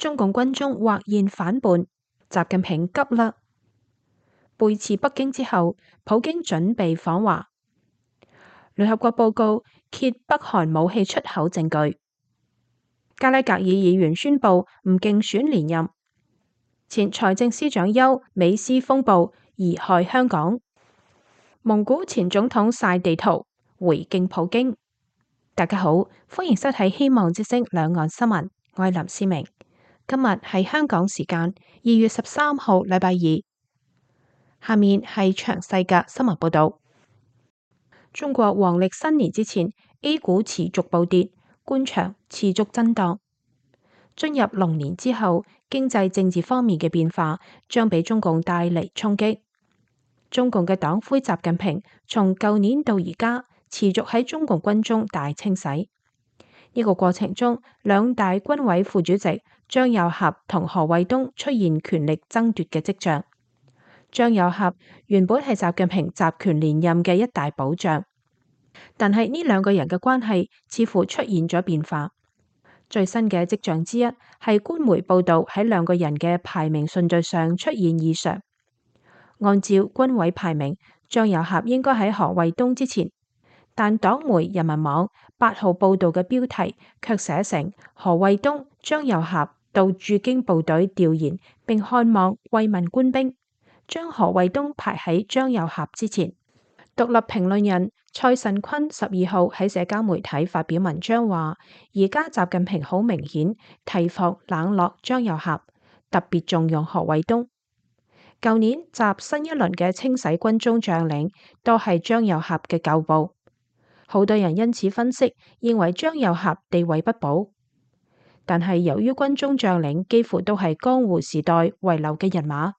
中共軍中或現反叛，習近平急啦。背刺北京之後，普京準備訪華。聯合國報告揭北韓武器出口證據。加拉格爾議員宣布唔競選連任。前財政司長邱美斯風暴貽害香港。蒙古前總統曬地圖回敬普京。大家好，歡迎收睇希望之聲兩岸新聞，我係林思明。今日係香港時間2月13號禮拜二。下面係詳細嘅新聞報道。中國黃曆新年之前 ，A 股持續暴跌，官場持續震盪。進入龍年之後，經濟政治方面嘅變化將俾中共帶嚟衝擊。中共嘅黨魁習近平從舊年到而家持續喺中共軍中大清洗。呢個過程中，兩大軍委副主席張又俠同何衛東出現權力爭奪嘅跡象。張又俠原本係習近平集權連任嘅一大保障，但係呢兩個人嘅關係似乎出現咗變化。最新嘅跡象之一係官媒報道喺兩個人嘅排名順序上出現異常。按照軍委排名，張又俠應該喺何衛東之前，但黨媒人民網8號報道嘅標題卻寫成何衛東、張又俠到駐京部隊調研並看望慰問官兵，將何衛東排喺張又俠之前。獨立評論人蔡慎坤12號喺社交媒體發表文章話，而家習近平好明顯提防冷落張又俠，特別重用何衛東。舊年習新一輪嘅清洗軍中將領都係張又俠嘅舊部，好多人因此分析認為張又俠地位不保。但係由於軍中將領幾乎都係江湖時代遺留嘅人馬，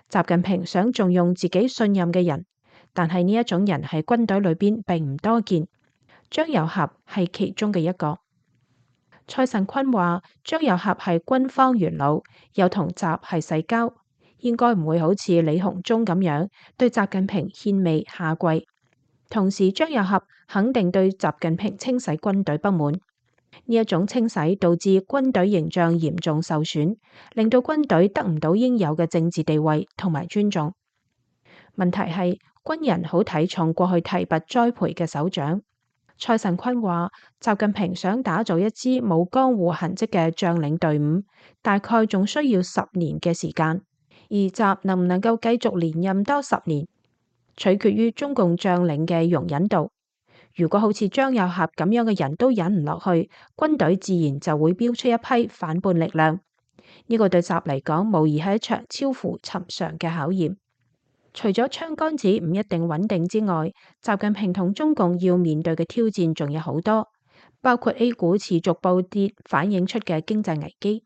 習近平想重用自己信任嘅人，但係呢一種人喺軍隊裏邊並唔多見，張又俠係其中嘅一個。蔡慎坤話張又俠係軍方元老，又同習係世交，應該唔會好似李鴻忠咁樣對習近平獻媚下跪。同時張又俠肯定對習近平清洗軍隊不滿，呢一種清洗導致軍隊形象嚴重受損，令到軍隊得唔到應有嘅政治地位同埋尊重。問題係軍人好睇重過去提拔栽培嘅首長。蔡慎坤話習近平想打造一支冇江湖痕跡嘅將領隊伍，大概仲需要10年嘅時間，而習能唔能夠繼續連任多10年，取決於中共將領嘅容忍度。如果好似張又俠咁樣嘅人都忍唔落去，軍隊自然就會飆出一批反叛力量。呢個對習嚟講無疑係一場超乎尋常嘅考驗。除咗槍桿子唔一定穩定之外，習近平同中共要面對嘅挑戰仲有好多，包括 A 股持續暴跌反映出嘅經濟危機。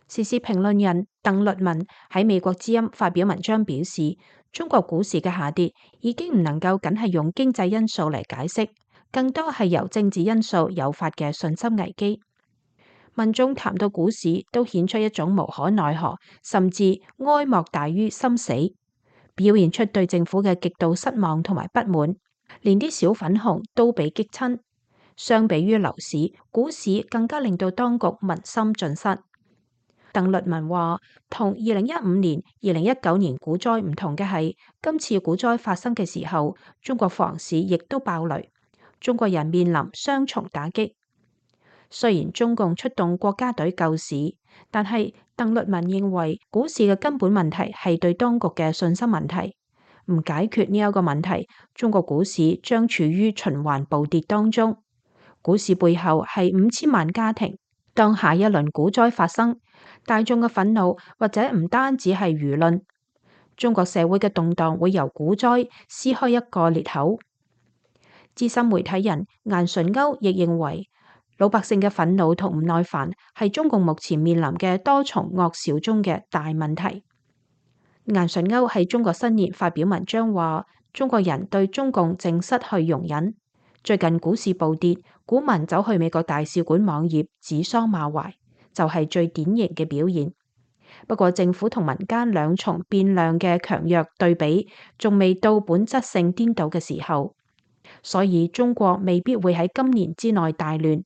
時事評論人鄧律文喺美國之音發表文章表示，中國股市嘅下跌已經唔能夠僅係用經濟因素嚟解釋，更多係由政治因素誘發嘅信心危機。民眾談到股市都顯出一種無可奈何，甚至哀莫大於心死，表現出對政府嘅極度失望同埋不滿，連啲小粉紅都被激親。相比於樓市，股市更加令到當局民心盡失。鄧律文話，同2015年、2019年股災唔同嘅係，今次股災發生嘅時候，中國房市亦都爆雷，中國人面臨雙重打擊。雖然中共出動國家隊救市，但係鄧律文認為股市嘅根本問題係對當局嘅信心問題。唔解決呢一個問題，中國股市將處於循環暴跌當中。股市背後係5000萬家庭，當下一輪股災發生，大眾嘅憤怒或者唔單止係輿論，中國社會嘅動盪會由股災撕開一個裂口。資深媒體人顏純鈎亦認為，老百姓嘅憤怒同唔耐煩係中共目前面臨嘅多重惡兆中嘅大問題。顏純鈎喺中國新年發表文章話，中國人對中共正失去容忍。最近股市暴跌，股民走去美國大使館網頁指桑罵槐，就係最典型嘅表現。不過政府同民間兩重變量嘅強弱對比仲未到本質性顛倒嘅時候，所以中國未必會喺今年之內大亂。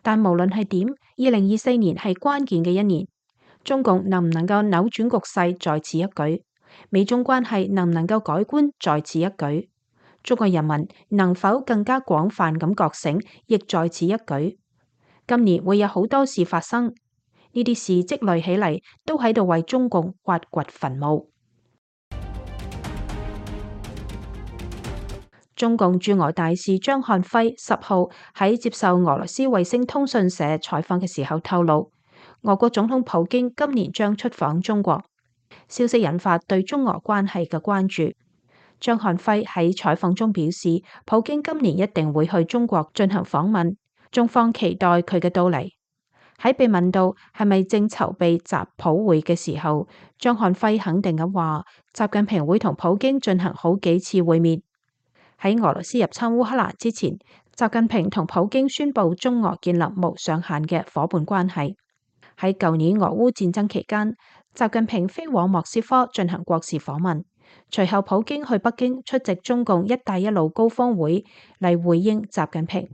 但無論係點，2024年係關鍵嘅一年，中共能唔能夠扭轉局勢在此一舉，美中關係能唔能夠改觀在此一舉，中國人民能否更加廣泛咁覺醒亦在此一舉。今年會有好多事發生，呢啲事積累起嚟都喺度為中共挖掘墳墓。中共駐俄大使張漢輝10號喺接受俄羅斯衛星通訊社採訪嘅時候透露，俄國總統普京今年將出訪中國，消息引發對中俄關係嘅關注。張漢輝喺採訪中表示，普京今年一定會去中國進行訪問，中方期待佢嘅到嚟。喺被問到係咪正籌備習普會嘅時候，張漢輝肯定咁話，習近平會同普京進行好幾次會面。喺俄羅斯入侵烏克蘭之前，習近平同普京宣布中俄建立無上限嘅夥伴關係。喺舊年俄烏戰爭期間，習近平飛往莫斯科進行國事訪問，隨後普京去北京出席中共一帶一路高峰會嚟回應習近平。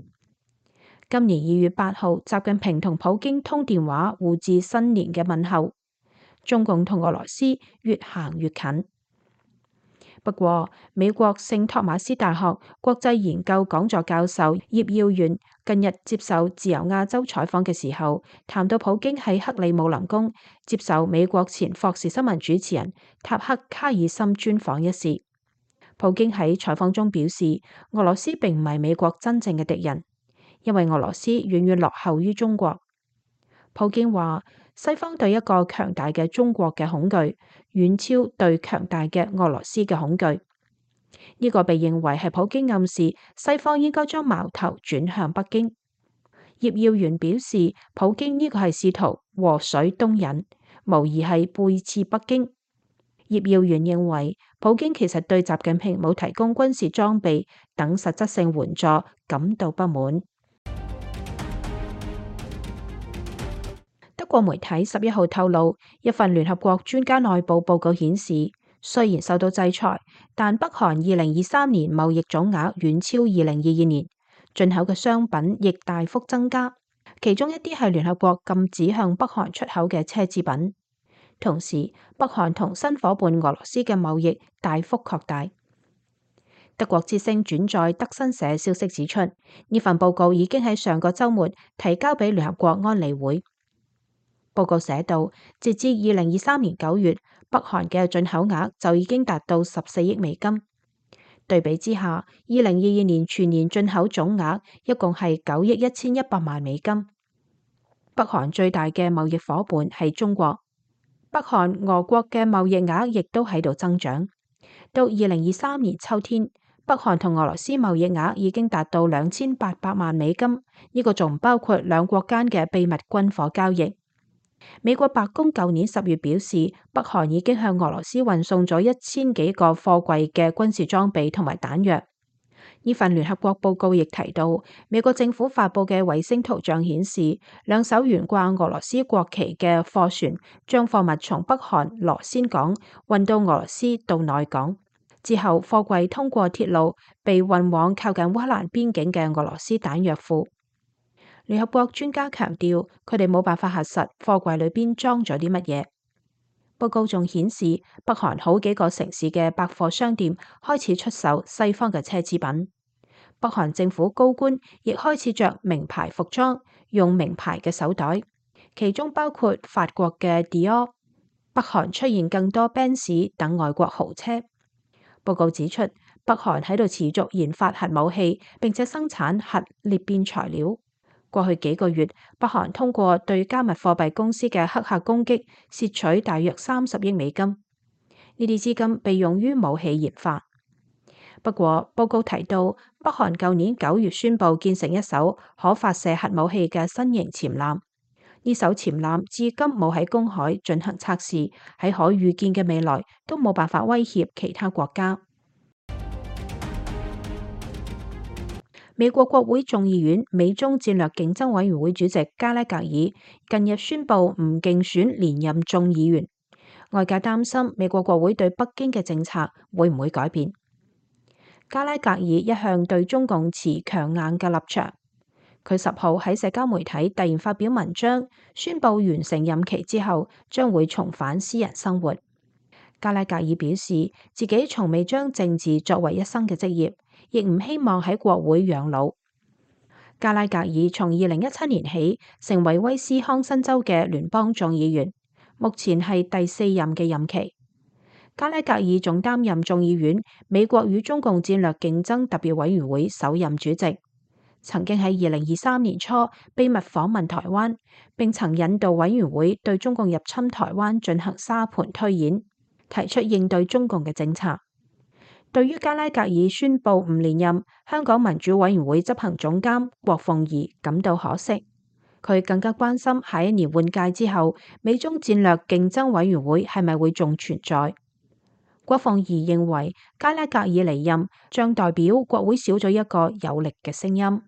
今年2月8號，習近平同普京通電話互致新年嘅問候，中共同俄羅斯越行越近。不過，美國聖托馬斯大學國際研究講座教授葉耀元近日接受自由亞洲採訪嘅時候，談到普京喺克里姆林宮接受美國前霍士新聞主持人塔克卡爾森專訪一事。普京喺採訪中表示，俄羅斯並唔係美國真正嘅敵人，因為俄羅斯遠遠落後於中國。普京話，西方對一個強大嘅中國嘅恐懼，遠超對強大嘅俄羅斯嘅恐懼。呢個被認為係普京暗示西方應該將矛頭轉向北京。葉耀元表示，普京呢個係試圖禍水東引，無疑係背刺北京。葉耀元認為，普京其實對習近平冇提供軍事裝備等實質性援助感到不滿。德國媒體11號透露，一份聯合國專家內部報告顯示，雖然受到制裁，但北韓2023年貿易總額遠超2022年，進口嘅商品亦大幅增加，其中一啲係聯合國禁止向北韓出口嘅奢侈品。同時，北韓同新伙伴俄羅斯嘅貿易大幅擴大。德國之聲轉載德新社消息指出，呢份報告已經喺上個週末提交俾聯合國安理會。報告寫道，截至2023年9月，北韓嘅進口額就已經達到14億美金。對比之下，2022年全年進口總額一共係9億1100萬美金。北韓最大嘅貿易夥伴係中國，北韓俄國嘅貿易額亦都喺度增長。到2023年秋天，北韓同俄羅斯貿易額已經達到2800萬美金，呢個仲唔包括兩國間嘅秘密軍火交易。美國白宮舊年10月表示，北韓已經向俄羅斯運送咗1000幾個貨櫃嘅軍事裝備同埋彈藥。呢份聯合國報告亦提到，美國政府發佈嘅衛星圖像顯示，兩艘懸掛俄羅斯國旗嘅貨船將貨物從北韓羅先港運到俄羅斯到內港，之後貨櫃通過鐵路被運往靠近烏克蘭邊境嘅俄羅斯彈藥庫。聯合國專家強調，佢哋冇辦法核實貨櫃裏邊裝咗啲乜嘢。報告仲顯示，北韓好幾個城市嘅百貨商店開始出售西方嘅奢侈品。北韓政府高官亦開始着名牌服裝，用名牌嘅手袋，其中包括法國嘅 Dior。北韓出現更多 Benz 等外國豪車。報告指出，北韓喺度持續研發核武器，並且生產核裂變材料。過去幾個月，北韓通過對加密貨幣公司嘅黑客攻擊，竊取大約30億美金。呢啲資金被用於武器研發。不過，報告提到，北韓舊年9月宣布建成一艘可發射核武器嘅新型潛艦。呢艘潛艦至今冇喺公海進行測試，喺可預見嘅未來都冇辦法威脅其他國家。美國國會眾議院美中戰略競爭委員會主席加拉格爾近日宣布唔競選連任眾議員，外界擔心美國國會對北京嘅政策會唔會改變。加拉格爾一向對中共持強硬嘅立場，佢10號喺社交媒體突然發表文章，宣布完成任期之後將會重返私人生活。加拉格爾表示自己從未將政治作為一生嘅職業，亦唔希望喺國會養老。加拉格爾從2017年起成為威斯康辛州嘅聯邦眾議員，目前係第4任嘅任期。加拉格爾仲擔任眾議院美國與中共戰略競爭特別委員會首任主席。曾經喺2023年初秘密訪問台灣，並曾引導委員會對中共入侵台灣進行沙盤推演，提出應對中共嘅政策。對於加拉格爾宣布唔連任，香港民主委員會執行總監郭鳳儀感到可惜。佢更加關心下一年換屆之後，美中戰略競爭委員會係咪會仲存在。郭鳳儀認為加拉格爾離任將代表國會少咗一個有力嘅聲音。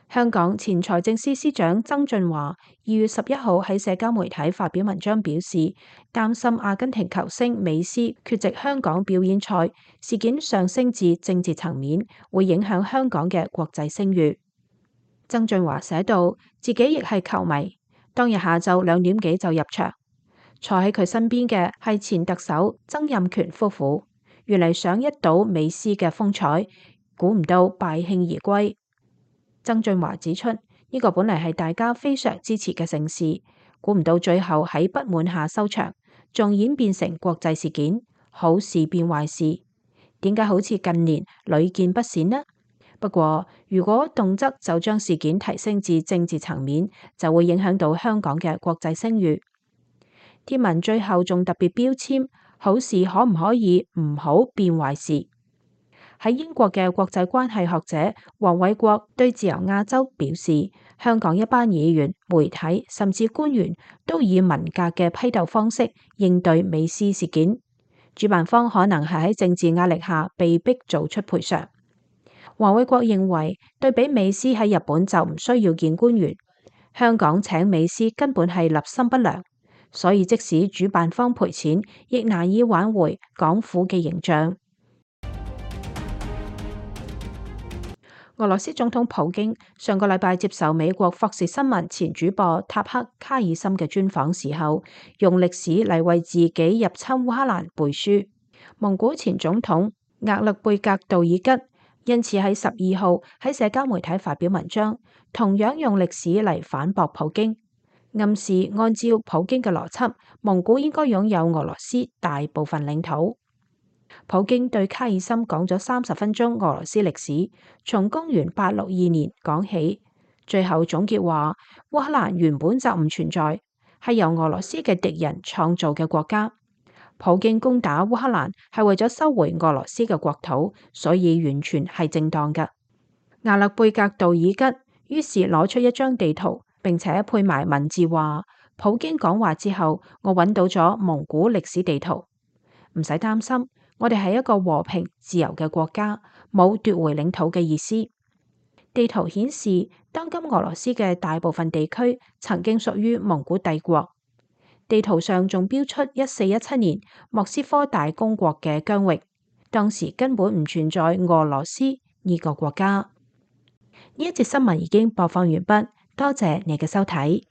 香港前財政司司長曾俊華2月11號喺社交媒體發表文章，表示擔心阿根廷球星美斯缺席香港表演賽事件上升至政治層面，會影響香港嘅國際聲譽。曾俊華寫道，自己亦係球迷，當日下晝2點幾就入場，坐喺佢身邊嘅係前特首曾蔭權夫婦，原嚟想一睹美斯嘅風采，估唔到敗興而歸。曾俊華指出，呢個本嚟係大家非常支持嘅盛事，估唔到最後喺不滿下收場，仲演變成國際事件，好事變壞事。點解好似近年屢見不鮮呢？不過如果動輒就將事件提升至政治層面，就會影響到香港嘅國際聲譽。貼文最後仲特別標籤，好事可唔可以唔好變壞事？喺英國嘅國際關係學者黃偉國對自由亞洲表示，香港一班議員、媒體甚至官員都以文革嘅批鬥方式應對美斯事件，主辦方可能係喺政治壓力下被逼做出賠償。黃偉國認為，對比美斯喺日本就唔需要見官員，香港請美斯根本係立心不良，所以即使主辦方賠錢，亦難以挽回港府嘅形象。俄羅斯總統普京上個禮拜接受美國霍士新聞前主播塔克卡爾森嘅專訪時候，用歷史嚟為自己入侵烏克蘭背書。蒙古前總統額勒貝格杜爾吉因此喺12號喺社交媒體發表文章，同樣用歷史嚟反駁普京，暗示按照普京嘅邏輯，蒙古應該擁有俄羅斯大部分領土。普京對卡爾森講咗30分鐘俄羅斯歷史，從公元862年講起，最後總結話烏克蘭原本就唔存在，係由俄羅斯嘅敵人創造嘅國家。普京攻打烏克蘭係為咗收回俄羅斯嘅國土，所以完全係正當嘅。亞勒貝格杜爾吉於是攞出一張地圖，並且配埋文字話：普京講話之後，我揾到咗蒙古歷史地圖，唔使擔心。我哋係一個和平自由嘅國家，冇奪回領土嘅意思。地圖顯示，當今俄羅斯嘅大部分地區曾經屬於蒙古帝國。地圖上仲標出1417年莫斯科大公國嘅疆域，當時根本唔存在俄羅斯呢個國家。呢一節新聞已經播放完畢，多謝你嘅收睇。